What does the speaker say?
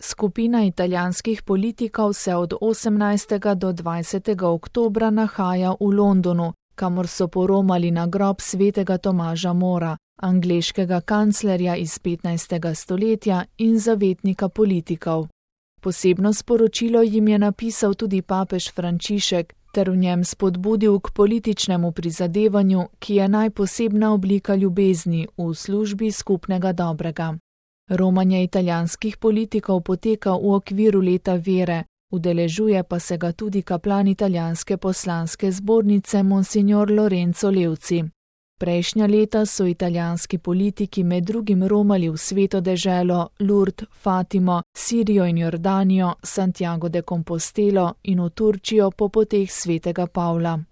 Skupina italijanskih politikov se od 18. do 20. oktobra nahaja v Londonu, kamor so poromali na grob svetega Tomaža Mora, angleškega kanclerja iz 15. stoletja in zavetnika politikov. Posebno sporočilo jim je napisal tudi papež Frančišek ter v njem spodbudil k političnemu prizadevanju, ki je najposebna oblika ljubezni v službi skupnega dobrega. Romanje italijanskih politikov poteka v okviru leta vere, udeležuje pa se ga tudi kaplan italijanske poslanske zbornice Monsignor Lorenzo Levci. Prejšnja leta so italijanski politiki med drugim romali v Sveto deželo, Lourdes, Fatimo, Sirijo in Jordanijo, Santiago de Compostelo in v Turčijo po poteh svetega Pavla.